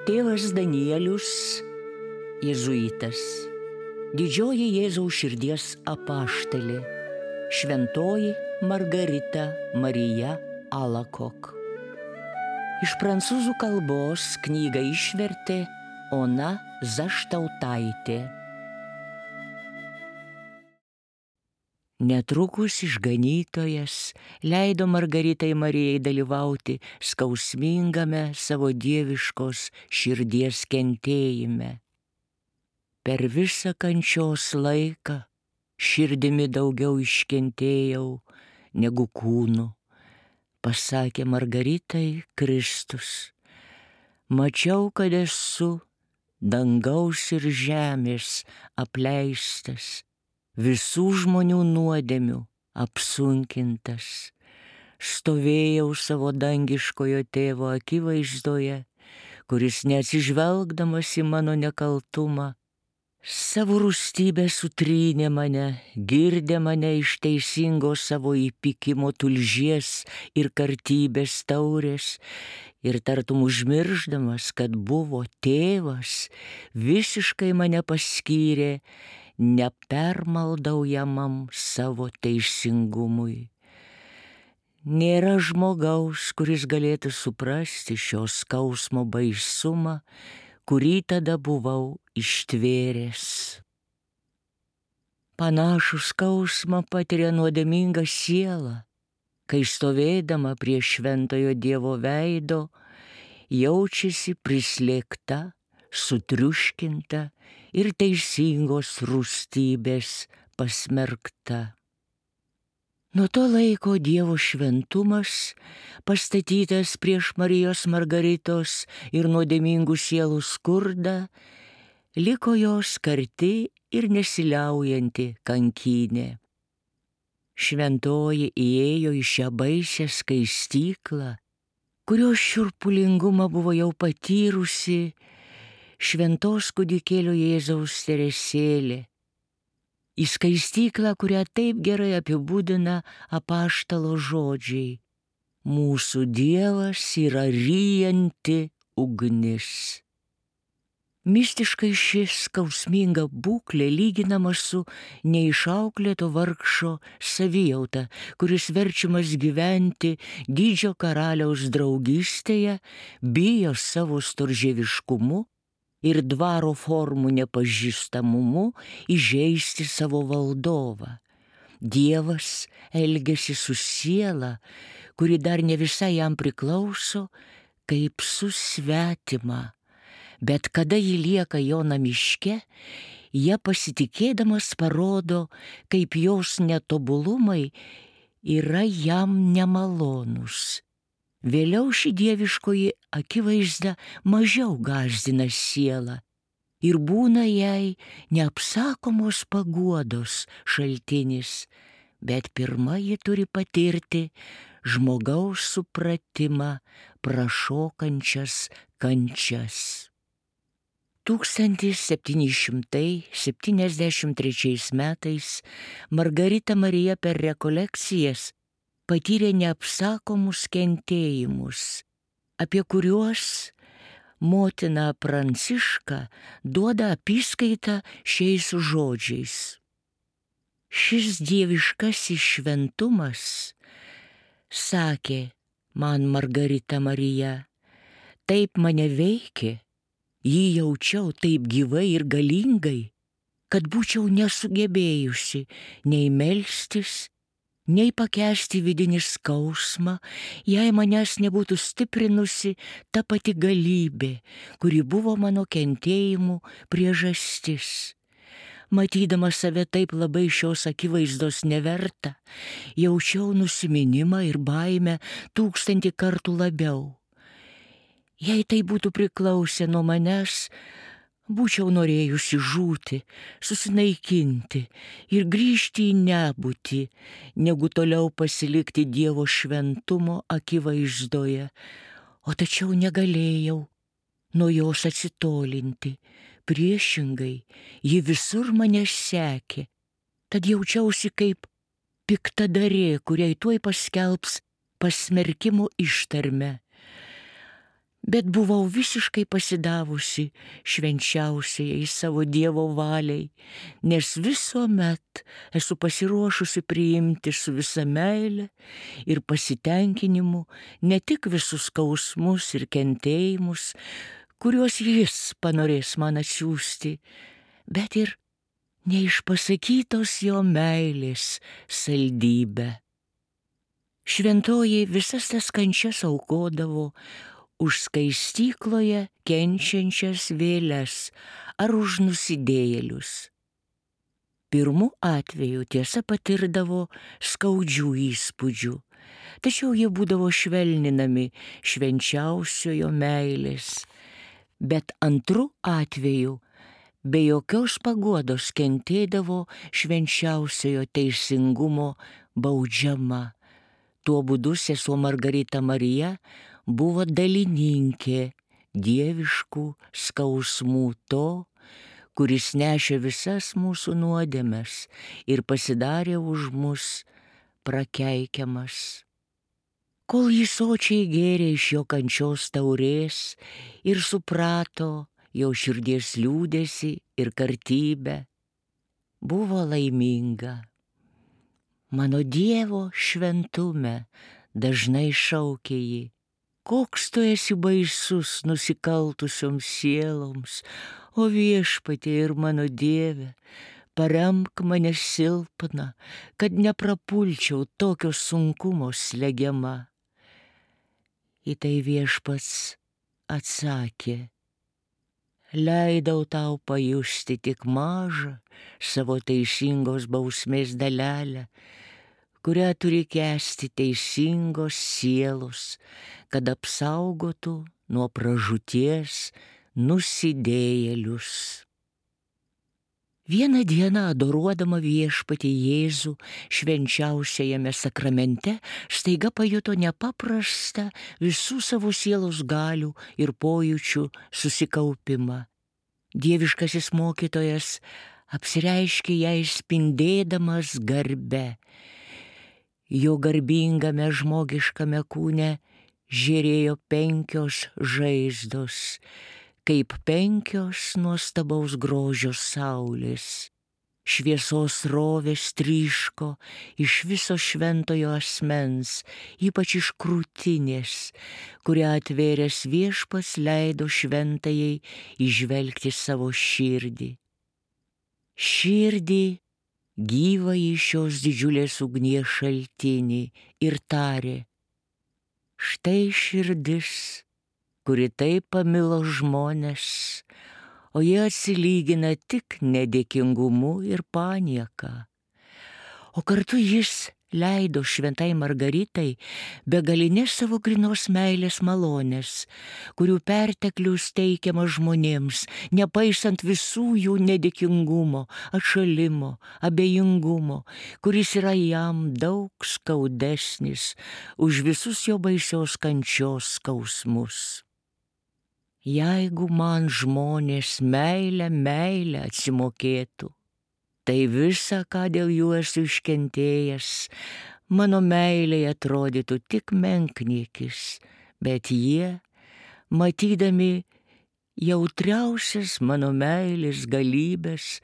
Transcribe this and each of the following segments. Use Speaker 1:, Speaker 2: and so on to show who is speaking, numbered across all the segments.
Speaker 1: Tėvas Danielius, jėzuitas, didžioji Jėzaus širdies apaštalė, šventoji Margarita Marija Alacoque. Iš prancūzų kalbos knygą išvertė Ona Zaštautaitė. Netrukus išganytojas leido Margaritai Marijai dalyvauti skausmingame savo dieviškos širdies kentėjime. Per visą kančios laiką širdimi daugiau iškentėjau negu kūnu, pasakė Margaritai Kristus. Mačiau, kad esu dangaus ir žemės apleistas, visų žmonių nuodėmių apsunkintas. Stovėjau savo dangiškojo tėvo akivaizdoje, kuris neatsižvelgdamas į mano nekaltumą, savo rūstybę sutrynė mane, girdė mane iš teisingos savo įpykimo tulžies ir kartybės taurės ir tartum užmirždamas, kad buvo tėvas, visiškai mane paskyrė nepermaldaujamam savo teisingumui. Nėra žmogaus, kuris galėtų suprasti šio skausmo baisumą, kurį tada buvau ištvėręs. Panašų skausmą patiria nuodėminga siela, kai stovėdama prie šventojo Dievo veido jaučiasi prislėgta, sutriuškinta ir teisingos rūstybės pasmerkta. Nuo to laiko Dievo šventumas, pastatytas prieš Marijos Margaritos ir nuodėmingų sielų skurdą, liko jos karti ir nesiliaujanti kankynė. Šventoji įėjo į šią baisią skaistyklą, kurios šiurpulingumą buvo jau patyrusi šventos kūdikėlio Jėzaus Teresėlė. Į skaistyklą, kurią taip gerai apibūdina apaštalo žodžiai: mūsų Dievas yra ryjanti ugnis. Mistiškai ši skausminga būklė lyginama su neišauklėto vargšo savijauta, kuris verčiamas gyventi didžio karaliaus draugystėje, bijo savo storžieviškumu ir dvaro formų nepažįstamumu įžeisti savo valdovą. Dievas elgiasi su siela, kuri dar ne visai jam priklauso, kaip su svetima, bet kada ji lieka jo namiške, ją pasitikėdamas parodo, kaip jos netobulumai yra jam nemalonus. Vėliau ši dieviškoji akivaizda mažiau gąsdina sielą ir būna jai neapsakomos paguodos šaltinis, bet pirma ji turi patirti žmogaus supratimą prašokančias kančias. 1773 metais Margarita Marija per rekolekcijas patyrė neapsakomus kentėjimus, apie kuriuos motina Pranciška duoda apyskaitą šiais žodžiais. Šis dieviškasis šventumas, sakė man Margarita Marija, taip mane veikė, jį jaučiau taip gyvai ir galingai, kad būčiau nesugebėjusi nei melstis, nei pakęsti vidinį skausmą, jei manęs nebūtų stiprinusi ta pati galybė, kuri buvo mano kentėjimų priežastis. Matydama save taip labai šios akivaizdos neverta, jaučiau nusiminimą ir baimę 1000 kartų labiau. Jei tai būtų priklausę nuo manęs, būčiau norėjusi žūti, susinaikinti ir grįžti į nebūtį, negu toliau pasilikti Dievo šventumo akivaizdoje, o tačiau negalėjau nuo jos atsitolinti. Priešingai, ji visur mane sekė, tad jaučiausi kaip piktadarė, kuriai tuoj paskelbs pasmerkimo ištarmę. Bet buvau visiškai pasidavusi švenčiausiai savo Dievo valiai, nes visuomet esu pasiruošusi priimti su visa meile ir pasitenkinimu ne tik visus skausmus ir kentėjimus, kuriuos Jis panorės man atsiųsti, bet ir neišpasakytos Jo meilės saldybę. Šventoji visas tas kančias aukodavo už skaistykloje kenčiančias vėles ar už nusidėjėlius. Pirmu atveju tiesa patirdavo skaudžių įspūdžių, tačiau jie būdavo švelninami švenčiausiojo meilės, bet antru atveju be jokios paguodos kentėdavo švenčiausiojo teisingumo baudžiama. Tuo būdu sesuo Margarita Marija buvo dalininkė dieviškų skausmų to, kuris nešė visas mūsų nuodėmes ir pasidarė už mus prakeikiamas. Kol jis sočiai gėrė iš jo kančios taurės ir suprato jo širdies liūdesį ir kartybę, buvo laiminga. Mano Dievo šventume, dažnai šaukė ji, koks tu esi baisus nusikaltusioms sieloms, o Viešpatie ir mano Dieve, paremk mane silpną, kad neprapulčiau tokio sunkumo slegiama. Į tai Viešpats atsakė, leidau tau pajusti tik mažą savo teisingos bausmės dalelę, kurią turi kęsti teisingos sielos, kad apsaugotų nuo pražūties nusidėjėlius. Vieną dieną adoruodama Viešpatį Jėzų švenčiausiajame sakramente staiga pajuto nepaprastą visų savo sielos galių ir pojūčių susikaupimą. Dieviškasis mokytojas apsireiškė jai spindėdamas garbe. Jo garbingame žmogiškame kūne žėrėjo 5 žaizdos, kaip 5 nuostabaus grožio saulės. Šviesos rovės tryško iš viso šventojo asmens, ypač iš krūtinės, kurią atvėręs Viešpats leido šventajai įžvelgti savo širdį. Širdį gyvąjį šios didžiulės ugnies šaltinį ir tarė, štai širdis, kuri taip pamilo žmones, o jie atsilygina tik nedėkingumu ir panieka. O kartu jis leido šventai Margaritai begalinės savo grynos meilės malonės, kurių perteklius teikiamas žmonėms, nepaisant visų jų nedėkingumo, atšalimo, abejingumo, kuris yra jam daug skaudesnis už visus jo baisios kančios skausmus. Jeigu man žmonės meilę atsimokėtų, tai visa, ką dėl jų esu iškentėjęs, mano meilei atrodytų tik menkniekis, bet jie, matydami jautriausias mano meilės galybės,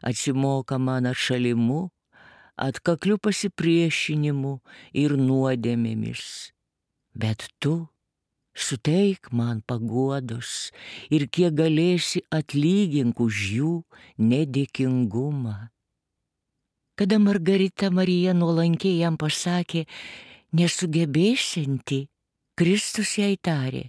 Speaker 1: atsimoka man atšalimu, atkakliu pasipriešinimu ir nuodėmėmis. Bet tu suteik man paguodos ir kiek galėsi atlygink už jų nedėkingumą. Kada Margarita Marija nuolankiai jam pasakė, nesugebėsianti, Kristus jai tarė,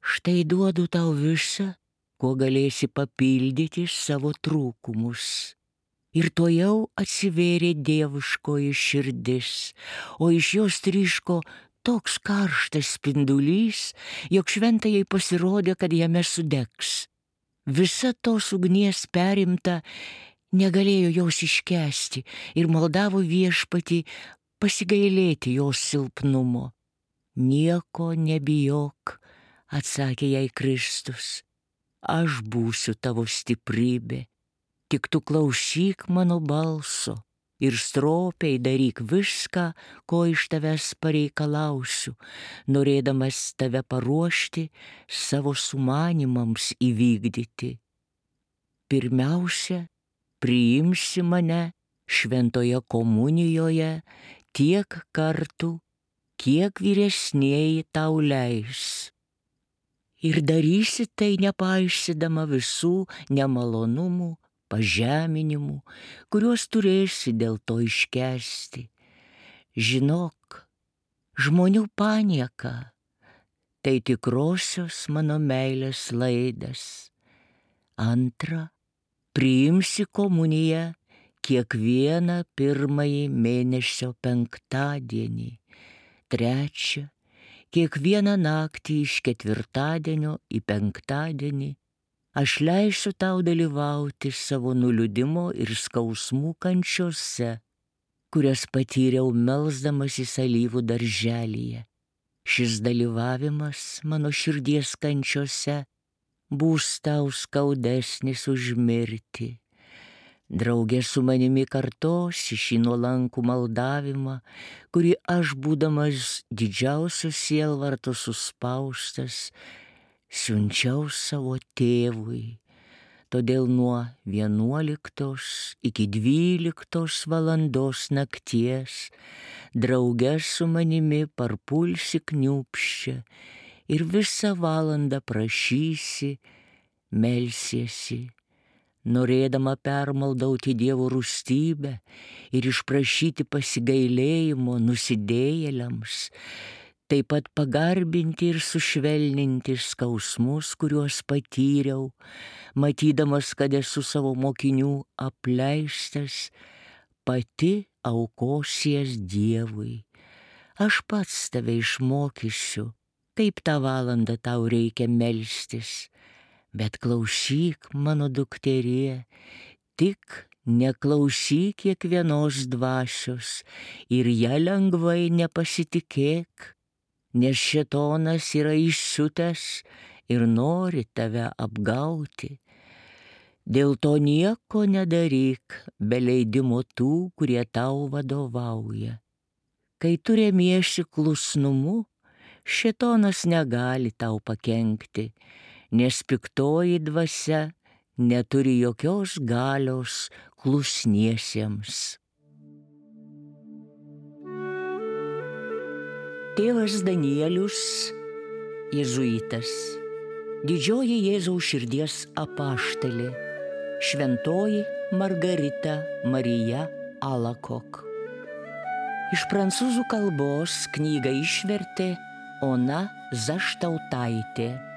Speaker 1: štai duodu tau visą, kuo galėsi papildyti savo trūkumus. Ir tuojau atsivėrė dieviškoji širdis, o iš jos tryško toks karštas spindulys, jog šventajai pasirodė, kad jame sudegs. Visa tos ugnies perimta negalėjo jos iškęsti ir maldavo Viešpatį pasigailėti jos silpnumo. Nieko nebijok, atsakė jai Kristus, aš būsiu tavo stiprybė, tik tu klausyk mano balso ir stropiai daryk viską, ko iš tavęs pareikalausiu, norėdamas tave paruošti savo sumanimams įvykdyti. Pirmiausia, priimsi mane šventoje komunijoje tiek kartų, kiek vyresnieji tau leis. Ir darysi tai nepaisydama visų nemalonumų, pažeminimų, kuriuos turėsi dėl to iškęsti. Žinok, žmonių panieka – tai tikrosios mano meilės laidas. Antra, priimsi komuniją kiekvieną pirmąjį mėnesio penktadienį. Trečia, kiekvieną naktį iš ketvirtadienio į penktadienį aš leisiu tau dalyvauti savo nuliūdimo ir skausmų kančiose, kurias patyriau melsdamasis alyvų darželyje. Šis dalyvavimas mano širdies kančiose bus tau skaudesnis už mirtį. Draugė su manimi kartosi šį nuolankų maldavimą, kurį aš, būdamas didžiausio sielvarto suspaustas, siunčiau savo tėvui. Todėl nuo 11 iki 12 valandos nakties drauge su manimi parpulsi kniūpsčia ir visą valandą prašysi, melsiesi, norėdama permaldauti Dievo rūstybę ir išprašyti pasigailėjimo nusidėjėliams, taip pat pagarbinti ir sušvelninti skausmus, kuriuos patyriau, matydamas, kad esu savo mokinių apleistas, pati aukosies Dievui. Aš pats tave išmokysiu, kaip tą valandą tau reikia melstis. Bet klausyk, mano dukterie, tik neklausyk kiekvienos dvasios ir ją lengvai nepasitikėk, nes šėtonas yra įsiutęs ir nori tave apgauti. Dėl to nieko nedaryk be leidimo tų, kurie tau vadovauja. Kai tu remiesi klusnumu, šėtonas negali tau pakenkti, nes piktoji dvasia neturi jokios galios klusniesiems. Tėvas Danielius, jėzuitas, didžioji Jėzaus širdies apaštalė, šventoji Margarita Marija Alakok. Iš prancūzų kalbos knygą išvertė Ona Zaštautaitė.